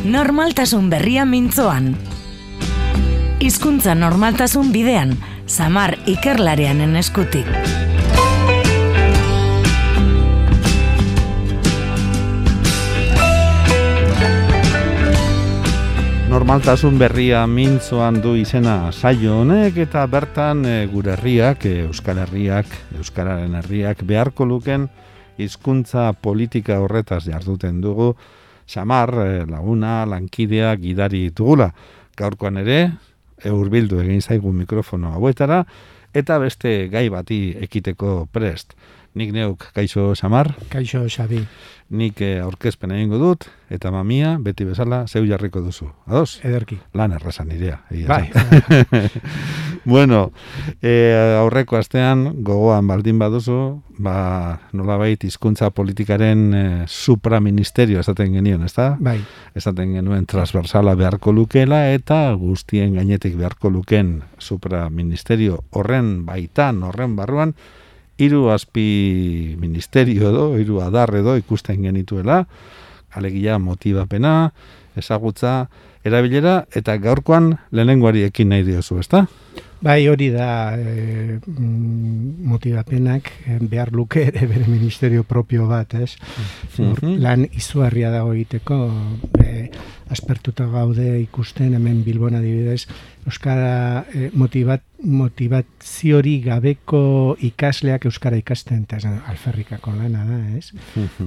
Normaltasun berria mintzoan. Hizkuntza normaltasun bidean, Samar ikerlarianen eskutik. Normaltasun berria mintzoan du izena saio honek, eta bertan gure herriak, Euskal Herriak, Euskararen herriak beharko luken hizkuntza politika horretaz jarduten dugu. Samar, laguna, lankidea, gidari dugula. Gaurkoan ere, hurbildu egin zaigu mikrofono hauetara, eta beste gai bati ekiteko prest. Nik neuk, kaixo Samar? Kaixo Xabi. Nik aurkezpen egingo dut, eta mamia, beti bezala, zeu jarriko duzu. Ados? Ederki. Lan errazan irea. Bai. Bueno, aurreko astean, gogoan baldin baduzu, nolabait hizkuntza politikaren supraministerio esaten genion, ezta? Bai. Esaten genuen transversala beharko lukela, eta guztien gainetik beharko luken supraministerio horren baitan, horren barruan, hiru azpi ministerio edo, hiru adar edo ikusten genituela, alegia motibapena, ezagutza, erabilera, eta gaurkoan lehenengoari ekin nahi diozu, ezta? Bai, hori da motibapenak behar luke ere bere ministerio propio bat, ez? Lan izugarria dago egiteko, aspertuta gaude ikusten, hemen Bilbon adibidez, euskara motibaziori gabeko ikasleak euskara ikasten, eta alferrikako lana da, ez?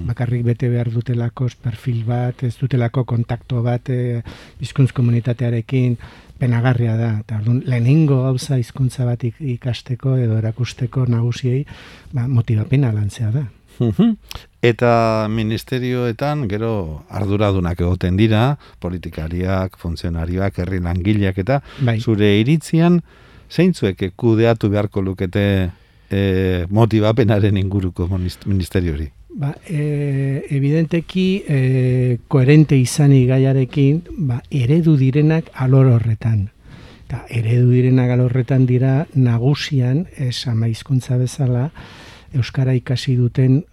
Bakarrik bete behar dutelako perfil bat, ez dutelako kontakto bat hizkuntz komunitatearekin, penagarria da, eta lehenengo gauza hizkuntza bat ikasteko edo erakusteko nagusiei motivapena lantzea da. Eta ministerioetan gero arduradunak egoten dira, politikariak, funtzionarioak, herri langileak, eta bai. Zure iritzian zeintzuek kudeatu beharko lukete motivapenaren inguruko ministeriori? Evidenteki koherente izanik gaiarekin, eredu direnak alor horretan. Eta eredu direnak alor horretan dira nagusian, ama hizkuntza bezala, euskara ikasi duten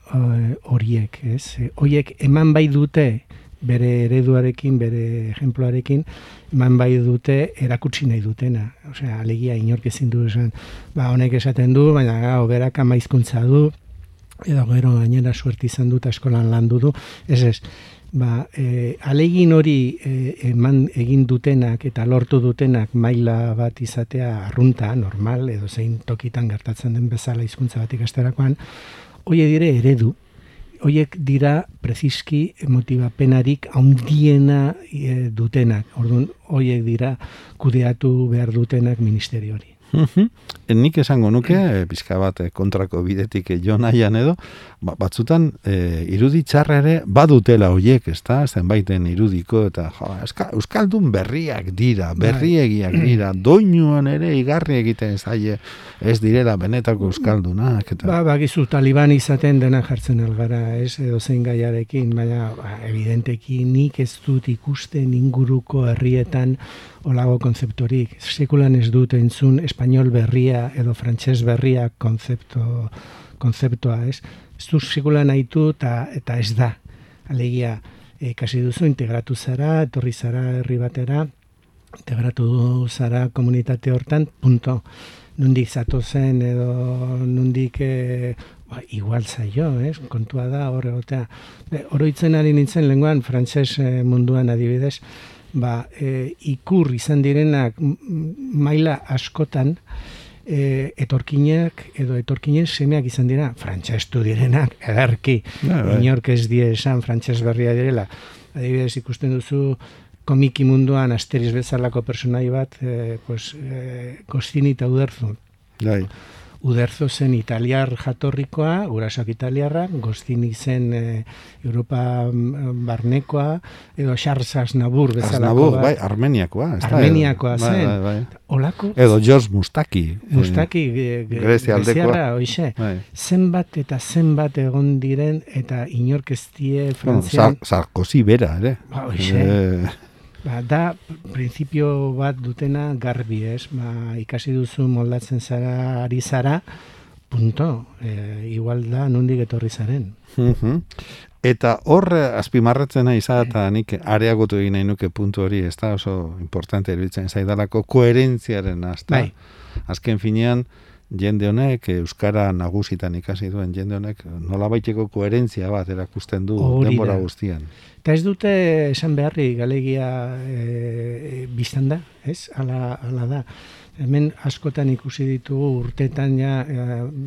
horiek, ez? Horiek eman bai dute bere ereduarekin, bere ejemploarekin, eman bai dute erakutsi nahi dutena. Osea, alegia inork ezin du esan, honek esaten du, baina berak ama hizkuntza du, edo gero gainera suerte izan dut eskolan landu du, ez. Alegin hori eman egin dutenak eta lortu dutenak maila bat izatea arrunta, normal, edo zein tokitan gertatzen den bezala hizkuntza bat ikasterakoan, horiek dire eredu, horiek dira preziski motivapenarik handiena dutenak, orduan horiek dira kudeatu behar dutenak ministeriori. Nik esango nuke, pixka bat kontrako bidetik jo nahian edo, batzutan irudi txarra ere badutela horiek, ezta? Zenbaiten irudiko, eta euskaldun berriak dira, berriegiak dira, doinuan ere igarri egiten zaie ez direla benetako euskaldunak. Bakizu taliban izaten dena jartzen algara, ez, edo zein gaiarekin, baina evidenteki nik ez dut ikusten inguruko herrietan olago konzeptorik. Sekulan ez dut entzun espainol berria edo frantses berria konzeptoa, ez? Ez dut sekulan nahitu eta ez da. Alegia, kasi duzu, integratu zara, etorri zara herri batera, integratu zara komunitate hortan, punto. Nundik zatozen edo nundik igual zaio, kontua da hor egotea. Oroitzen ari nintzen lenguan, frantses munduan adibidez, ikur izan direnak maila askotan etorkinak edo etorkinen semeak izan dira, frantsestu direnak, ederki, inork ez die esan frantses berria direla. Adibidez ikusten duzu komiki munduan Asterix bezalako personai bat, Goscinny eta Uderzo. Uderzo zen italiar jatorrikoa, gurasoak italiarrak, Goscinny zen Europa barnekoa, edo Charles Aznavour bezalako. Bai, Armeniakoa. Armeniakoa zen. Olako? Edo George Mustaki. Greziarra, hoxe. Zenbat eta zenbat egon diren, eta inork ez die Frantzian. Sarkozy bera, ere. Hoxe. Da, printzipio bat dutena garbi, ez? Ikasi duzu moldatzen zara, ari zara, punto. Igual da, nondik etorri zaren. Eta hor azpimarratzen nahi eta nik areagotu egin nahi nuke puntu hori, ez da oso importante eruditzen zaidalako koherentziaren azta. Azken finean, jende honek, euskara nagusitan ikasi duen jende honek, nolabaiteko koherentzia bat erakusten du denbora guztian. Eta ez dute esan beharri galegia biztan da, ez? Ala da. Hemen askotan ikusi ditugu urtetan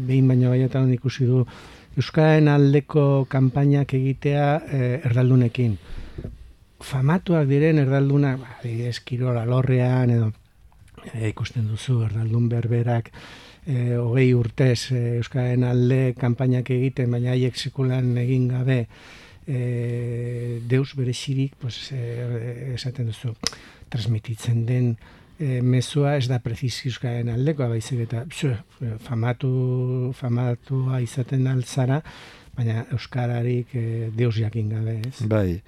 behin baino baietan ikusi du euskararen aldeko kanpainak egitea erdaldunekin. Famatuak diren erdaldunak, Kirol alorrean edo ikusten duzu erdaldun berberak 20 urtez euskararen alde kanpainak egiten, baina haiek sekulan egin gabe deus berezirik, esaten duzu, transmititzen den mezua ez da prezisi euskararen aldekoa, baizik eta famatua izaten altzara, baina euskararik deus jakin gabe, ez? Bai,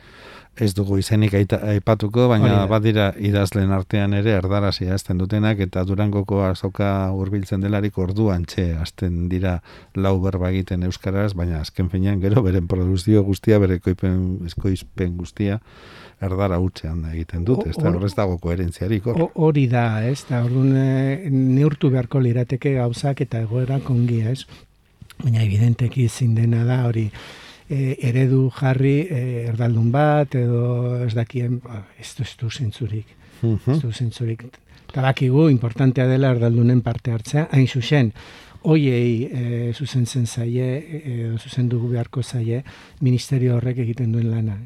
ez dugu izenik aipatuko, baina badira idazlen artean ere erdarazia azten dutenak, eta Durangoko azoka hurbiltzen delarik orduan azten dira lau berba egiten euskaraz, baina azken finean gero beren produzio guztia, bere ekoizpen guztia, erdara hutzean egiten dut, ez da horrez dago koherentziarik. Hori da, ez da, orduan neurtu beharko lirateke gauzak eta egoerak ongi, ez? Baina evidenteki ezin dena da hori eredu jarri erdaldun bat edo ez dakien, ez du zentzurik. Ez du zentzurik. Eta bakigu, importantea dela erdaldunen parte hartzea, hain zuzen, hoiei zuzentzen zaie, zuzendu beharko zaie, ministerio horrek egiten duen lana.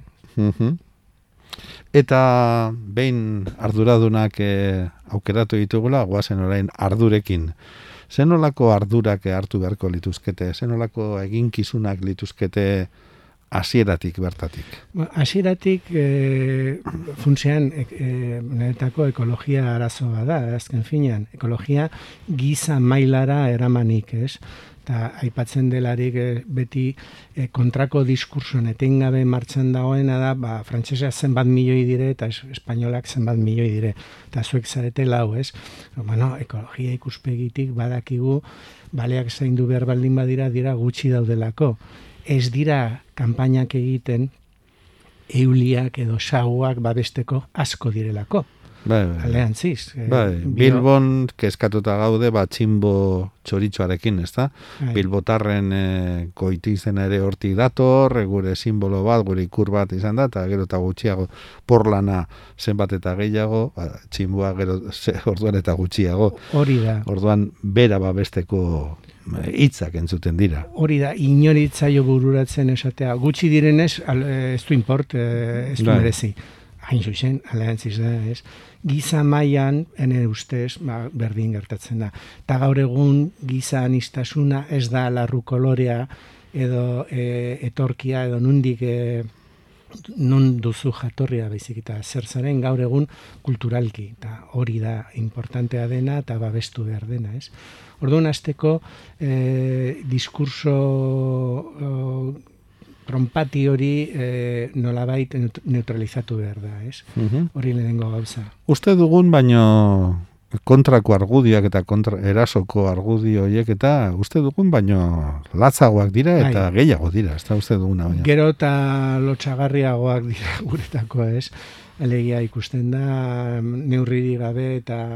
Eta behin arduradunak aukeratu ditugula, goazen orain ardurekin. Zenolako ardurak hartu beharko lituzkete? Zenolako eginkizunak lituzkete hasieratik bertatik? Hasieratik funtsean niretako ekologia arazoa da, azken finean. Ekologia giza mailara eramanik, ez? Eta aipatzen delarik beti kontrako diskursoan etengabe martxan dagoena da, frantsesa zenbat milioi dire eta espainolak zenbat milioi dire. Eta zuek zarete lau, ez? Ekologia ikuspegitik badakigu baleak zaindu behar baldin badira gutxi daudelako. Ez dira kanpainak egiten euliak edo saguak babesteko asko direlako. Aldeantziz. Bilbon kezkatuta gaude txinbo txoritxoarekin, ez da? Bilbotarren goitizena ere hortik dator, gure simbolo bat, gure ikur bat izan da, eta gero eta gutxiago porlana zenbat eta gehiago, txinboa gero orduan eta gutxiago. Hori da. Orduan bera babesteko hitzak entzuten dira. Hori da, inoritzaio bururatzen esatea. Gutxi direnez, ez du import, ez du merezi. Hain zuzen, aldeantziz da, ez? Giza mailan, ene ustez, berdin gertatzen da. Eta gaur egun giza anistasuna ez da larru kolorea edo etorkia edo nundik nun duzu jatorria baizik eta zer zaren gaur egun kulturalki. Eta hori da importantea dena eta babestu behar dena, ez? Orduan hasteko diskurso tronpati hori nolabait neutralizatu behar da, ez? Hori lehenengo gauza. Uste dugun, baino kontrako argudioak eta erasoko argudio horiek eta uste dugun, baino latzagoak dira eta gehiago dira, ez da uste duguna. Gero eta lotxagarriagoak dira guretako, ez? Alegia ikusten da, neurriri gabe eta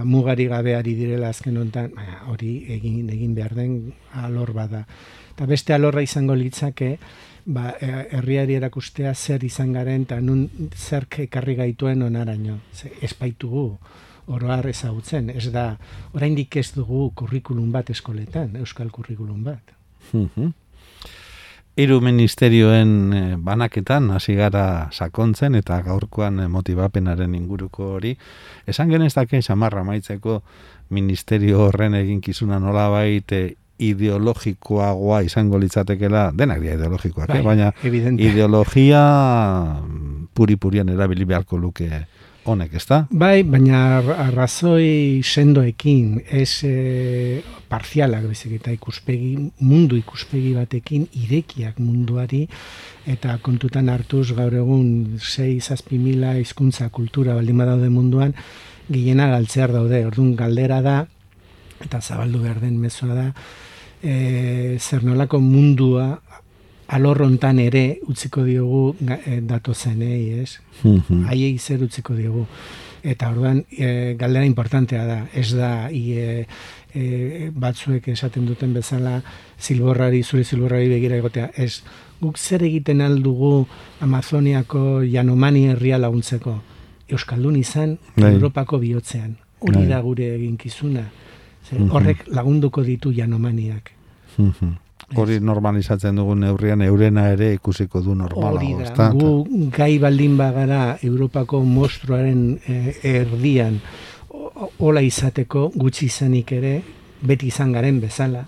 mugari gabe ari direla azken honetan, hori egin behar den alor bada. Eta beste alorra izango litzake, herriari erakustea zer izan garen eta nun zerk ekarri gaituen onaraino. Ez baitugu oroar ezagutzen, ez da, oraindik ez dugu kurrikulum bat eskoletan, euskal kurrikulum bat. Hiru ministerioen banaketan hasi gara sakontzen eta gaurkoan motibapenaren inguruko hori. Esan genezake samarra maitzeko ministerio horren eginkizuna nolabait ideologikoagoa izango litzatekela, denak dira ideologikoak, baina ideologia puri-purian erabili beharko luke honek, ez da? Bai, baina arrazoi sendoekin, ez parzialak bezik eta mundu ikuspegi batekin irekiak munduari, eta kontutan hartuz gaur egun 6-7 mila hizkuntza kultura baldin badaude munduan, gehiena galtzear daude, orduan galdera da, eta zabaldu behar den mezua da, zer nolako mundua alorrontan ere utziko diogu datozenei, ez? Haiei zer utziko diogu. Eta orduan, galdera importantea da, ez da batzuek esaten duten bezala zure zilborrari begira egotea, ez, guk zer egiten aldugu Amazoniako Yanomami herria laguntzeko, Euskaldun izan Europako bihotzean, hori da gure eginkizuna, horrek lagunduko ditu Yanomaniak. Hori normalizatzen dugun neurrian eurena ere ikusiko du normala. Hori da, gu gai baldin bagara Europako monstruaren erdian hola izateko gutxi izanik ere, beti izan garen bezala,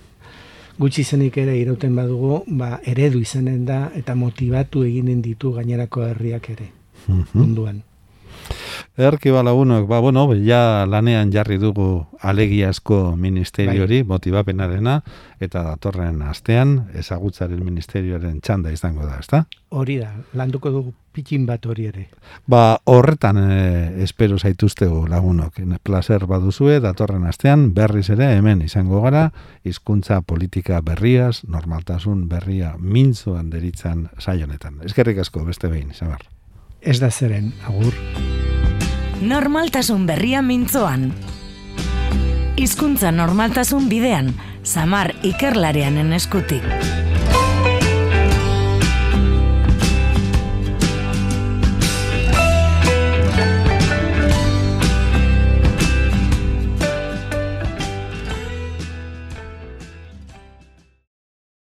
gutxi izanik ere irauten badugu, eredu izanen da eta motivatu eginen ditu gainerako herriak ere, munduan. Erki balagunok, ja lanean jarri dugu alegiazko ministeriori, motibapenarena, eta datorren astean, ezagutzaren ministerioaren txanda izango da, ezta? Hori da, landuko dugu pikin bat hori ere. Horretan espero zaituztegu lagunok. Placer baduzue, datorren astean, berriz ere hemen izango gara, hizkuntza politika berriaz, normaltasun berria mintzoan deritzan saionetan. Eskerrik asko, beste behin, Samar. Ez da zeren, agur. Normaltasun berria mintzoan. Hizkuntza normaltasun bidean, Samar ikerlarianen eskutik.